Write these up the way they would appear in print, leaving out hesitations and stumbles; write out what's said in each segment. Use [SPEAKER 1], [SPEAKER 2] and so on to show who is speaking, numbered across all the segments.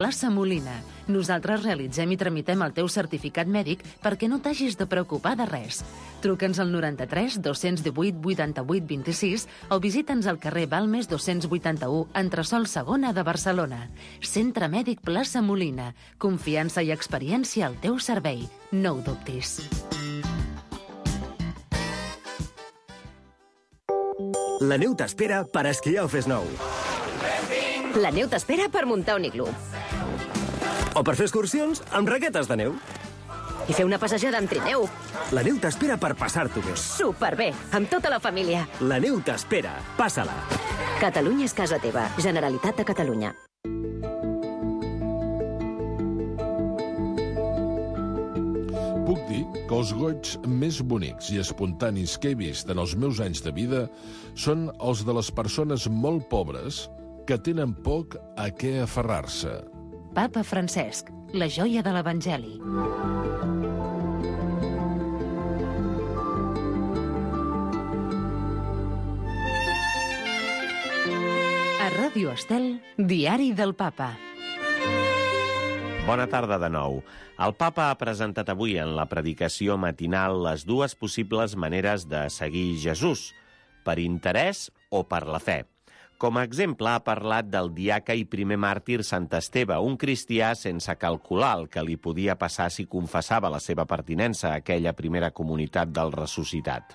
[SPEAKER 1] Plaça Molina. Nosaltres realitzem i tramitem el teu certificat mèdic perquè no t'hagis de preocupar de res. Truca'ns al 93 218 88 26 o visita'ns al carrer Balmes 281, entresòl segona de Barcelona. Centre Mèdic Plaça Molina. Confiança i experiència al teu servei. No ho dubtis.
[SPEAKER 2] La neu t'espera per esquiar o Fes Nou.
[SPEAKER 3] La neu t'espera per muntar un iglú.
[SPEAKER 2] O per fer excursions amb raquetes de neu.
[SPEAKER 3] I fer una passejada amb trineu.
[SPEAKER 2] La neu t'espera per passar-t'ho bé.
[SPEAKER 3] Superbé, amb tota la família.
[SPEAKER 2] La neu t'espera. Passa-la.
[SPEAKER 3] Catalunya és casa teva. Generalitat de Catalunya.
[SPEAKER 4] Puc dir que els goigs més bonics i espontanis que he vist en els meus anys de vida són els de les persones molt pobres que tenen poc a què aferrar-se.
[SPEAKER 1] Papa Francesc, la joia de l'Evangeli. A Ràdio Estel, Diari del Papa.
[SPEAKER 5] Bona tarda de nou. El Papa ha presentat avui en la predicació matinal les dues possibles maneres de seguir Jesús, per interès o per la fe. Com a exemple, ha parlat del diaca i primer màrtir Sant Esteve, un cristià sense calcular el que li podia passar si confessava la seva pertinença a aquella primera comunitat del ressuscitat.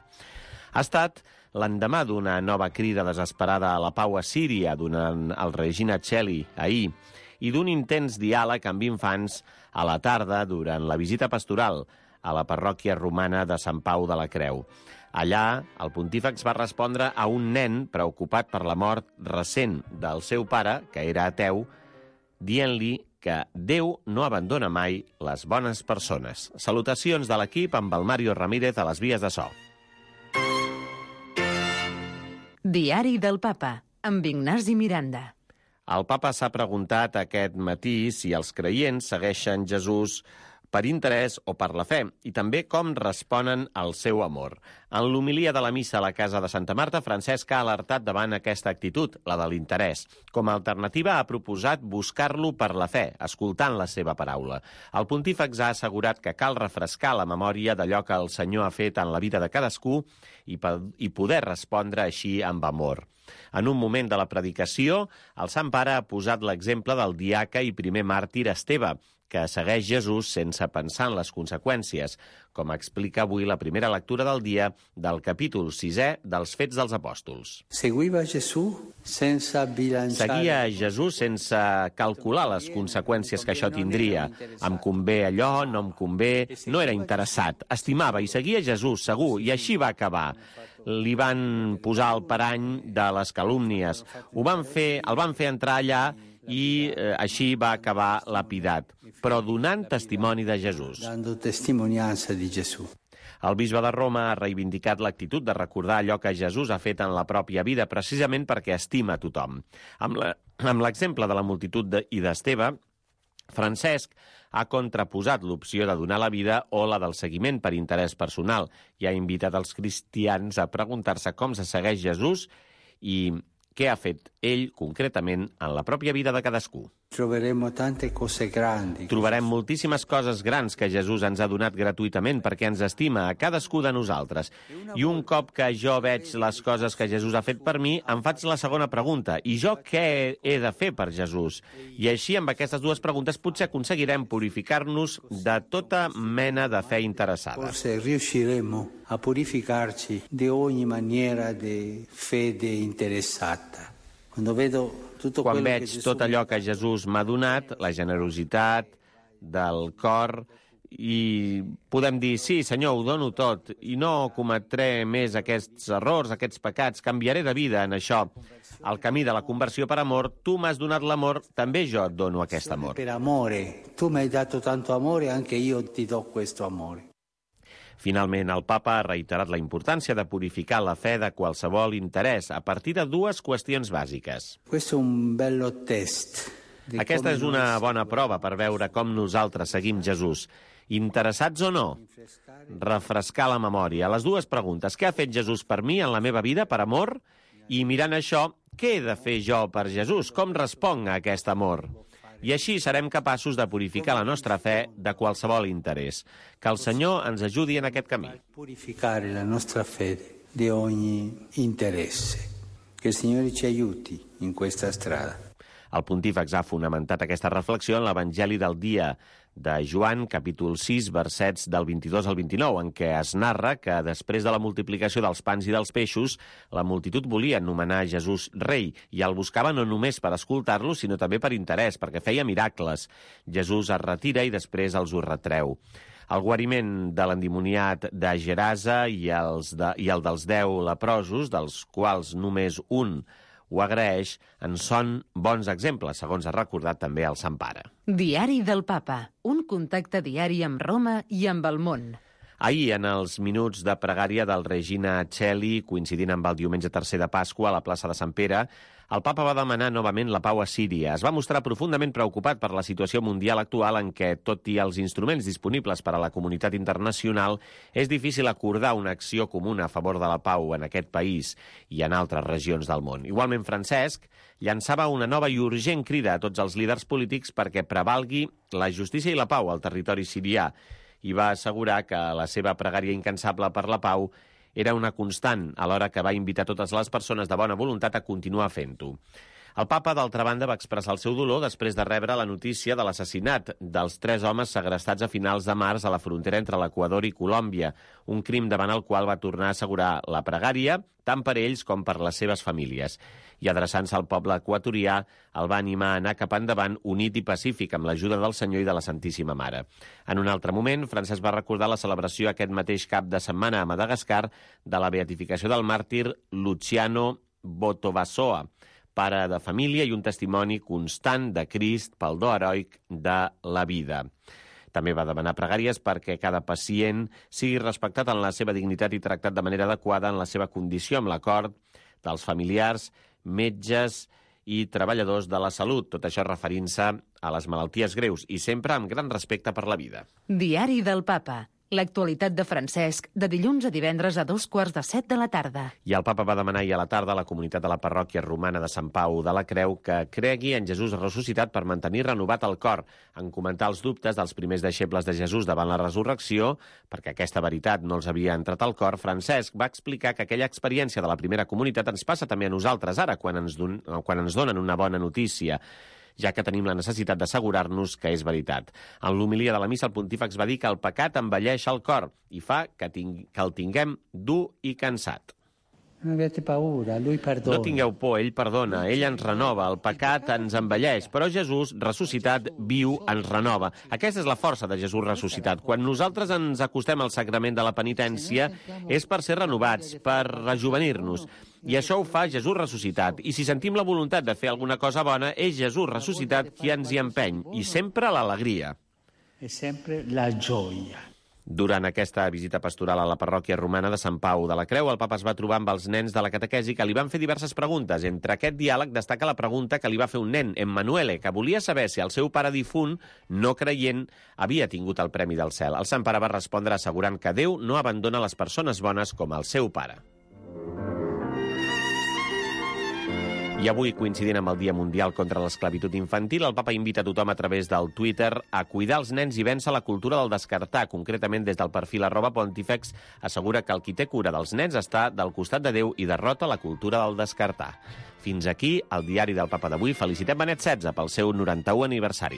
[SPEAKER 5] Ha estat l'endemà d'una nova crida desesperada a la pau a Síria durant el Regina Coeli ahir i d'un intens diàleg amb infants a la tarda durant la visita pastoral a la parròquia romana de Sant Pau de la Creu. Allà, el pontífex va respondre a un nen preocupat per la mort recent del seu pare, que era ateu, dient-li que Déu no abandona mai les bones persones. Salutacions de l'equip amb el Mario Ramírez a les vies de so.
[SPEAKER 1] Diari del Papa, amb Ignasi Miranda.
[SPEAKER 5] El papa s'ha preguntat aquest matí si els creients segueixen Jesús per interès o per la fe, i també com responen al seu amor. En l'homilia de la missa a la casa de Santa Marta, Francesc ha alertat davant aquesta actitud, la de l'interès. Com a alternativa ha proposat buscar-lo per la fe, escoltant la seva paraula. El pontífex ha assegurat que cal refrescar la memòria d'allò que el Senyor ha fet en la vida de cadascú i poder respondre així amb amor. En un moment de la predicació, el Sant Pare ha posat l'exemple del diaca i primer màrtir Esteve, que segueix Jesús sense pensar en les conseqüències, com explica avui la primera lectura del dia del capítol 6è dels Fets dels Apòstols.
[SPEAKER 6] Seguia
[SPEAKER 5] Jesús sense calcular les conseqüències que això tindria. Em convé allò, no em convé, no era interessat. Estimava i seguia Jesús, segur, i així va acabar. Li van posar el parany de les calúmnies. El van fer entrar allà i així va acabar lapidat, però donant testimoni de Jesús. El bisbe de Roma ha reivindicat l'actitud de recordar allò que Jesús ha fet en la pròpia vida, precisament perquè estima a tothom. Amb l'exemple de la multitud i d'Esteve, Francesc ha contraposat l'opció de donar la vida o la del seguiment per interès personal i ha invitat els cristians a preguntar-se com se segueix Jesús i què ha fet ell concretament en la pròpia vida de cadascú. Trobarem moltíssimes coses grans que Jesús ens ha donat gratuïtament perquè ens estima a cadascú de nosaltres. I un cop que jo veig les coses que Jesús ha fet per mi, em faig la segona pregunta. I jo què he de fer per Jesús? I així, amb aquestes dues preguntes, potser aconseguirem purificar-nos de tota mena de fe interessada.
[SPEAKER 6] Forse riusciremo a purificarci di ogni maniera di fede interessata.
[SPEAKER 5] Quan veig tot allò que Jesús m'ha donat, la generositat del cor, i podem dir, sí, Senyor, ho dono tot, i no cometré més aquests errors, aquests pecats, canviaré de vida en això. El camí de la conversió per amor, tu m'has donat l'amor, també jo et dono aquest amor.
[SPEAKER 6] Per amore, tu m'hai dato tanto amore, anche io ti do questo amore.
[SPEAKER 5] Finalment, el papa ha reiterat la importància de purificar la fe de qualsevol interès a partir de dues qüestions bàsiques. Aquesta és una bona prova per veure com nosaltres seguim Jesús. Interessats o no? Refrescar la memòria. Les dues preguntes. Què ha fet Jesús per mi en la meva vida, per amor? I mirant això, què he de fer jo per Jesús? Com responc a aquest amor? i així serem capaços de purificar la nostra fe de qualsevol interès. Que el Senyor ens ajudi en aquest camí.
[SPEAKER 6] Purificare la nostra fede di ogni interesse. Que il Signore ci aiuti in questa strada.
[SPEAKER 5] El pontífex ha fonamentat aquesta reflexió en l'Evangeli del dia de Joan, capítol 6, versets del 22 al 29, en què es narra que després de la multiplicació dels pans i dels peixos, la multitud volia anomenar Jesús rei, i el buscava no només per escoltar-lo, sinó també per interès, perquè feia miracles. Jesús es retira i després els ho retreu. El guariment de l'endimoniat de Gerasa i el dels 10 leprosos, dels quals només un ho agraeix, en són bons exemples, segons ha recordat també el Sant Pare.
[SPEAKER 1] Diari del Papa, un contacte diari amb Roma i amb el món.
[SPEAKER 5] Ahir, en els minuts de pregària del Regina Coeli, coincidint amb el diumenge tercer de Pasqua a la plaça de Sant Pere, el papa va demanar novament la pau a Síria. Es va mostrar profundament preocupat per la situació mundial actual en què, tot i els instruments disponibles per a la comunitat internacional, és difícil acordar una acció comuna a favor de la pau en aquest país i en altres regions del món. Igualment, Francesc llançava una nova i urgent crida a tots els líders polítics perquè prevalgui la justícia i la pau al territori sirià, i va assegurar que la seva pregària incansable per la pau era una constant, alhora que va invitar totes les persones de bona voluntat a continuar fent-ho. El papa, d'altra banda, va expressar el seu dolor després de rebre la notícia de l'assassinat dels 3 homes segrestats a finals de març a la frontera entre l'Equador i Colòmbia, un crim davant el qual va tornar a assegurar la pregària, tant per ells com per les seves famílies. I adreçant-se al poble equatorià, el va animar a anar cap endavant unit i pacífic amb l'ajuda del Senyor i de la Santíssima Mare. En un altre moment, Francesc va recordar la celebració aquest mateix cap de setmana a Madagascar de la beatificació del màrtir Luciano Botovasoa, pare de família i un testimoni constant de Crist pel do heroic de la vida. També va demanar pregàries perquè cada pacient sigui respectat en la seva dignitat i tractat de manera adequada en la seva condició, amb l'acord dels familiars, metges i treballadors de la salut, tot això referint-se a les malalties greus i sempre amb gran respecte per la vida.
[SPEAKER 1] Diari del Papa. L'actualitat de Francesc, de dilluns a divendres a 6:45 de la tarda.
[SPEAKER 5] I el papa va demanar ahir a la tarda a la comunitat de la parròquia romana de Sant Pau de la Creu que cregui en Jesús ressuscitat per mantenir renovat el cor, en comentar els dubtes dels primers deixebles de Jesús davant la resurrecció, perquè aquesta veritat no els havia entrat al cor. Francesc va explicar que aquella experiència de la primera comunitat ens passa també a nosaltres ara, quan ens donen una bona notícia, ja que tenim la necessitat d'assegurar-nos que és veritat. En l'homilia de la missa, el pontífex va dir que el pecat envelleix el cor i fa que el tinguem dur i cansat.
[SPEAKER 6] No avete paura, lui perdona.
[SPEAKER 5] No tingueu por, ell perdona, ell ens renova, el pecat ens envelleix, però Jesús, ressuscitat, viu, ens renova. Aquesta és la força de Jesús ressuscitat. Quan nosaltres ens acostem al sacrament de la penitència és per ser renovats, per rejuvenir-nos. I això ho fa Jesús ressuscitat. I si sentim la voluntat de fer alguna cosa bona, és Jesús ressuscitat qui ens hi empeny. I sempre l'alegria.
[SPEAKER 6] E sempre la gioia.
[SPEAKER 5] Durant aquesta visita pastoral a la parròquia romana de Sant Pau de la Creu, el papa es va trobar amb els nens de la catequesi que li van fer diverses preguntes. Entre aquest diàleg destaca la pregunta que li va fer un nen, Emmanuele, que volia saber si el seu pare difunt, no creient, havia tingut el Premi del Cel. El Sant Pare va respondre assegurant que Déu no abandona les persones bones com el seu pare. I avui, coincidint amb el Dia Mundial contra l'Esclavitud Infantil, el papa invita a tothom a través del Twitter a cuidar els nens i vèncer la cultura del descartar. Concretament, des del perfil @Pontifex, assegura que el qui té cura dels nens està del costat de Déu i derrota la cultura del descartar. Fins aquí el diari del papa d'avui. Felicitem Benet XVI pel seu 91 aniversari.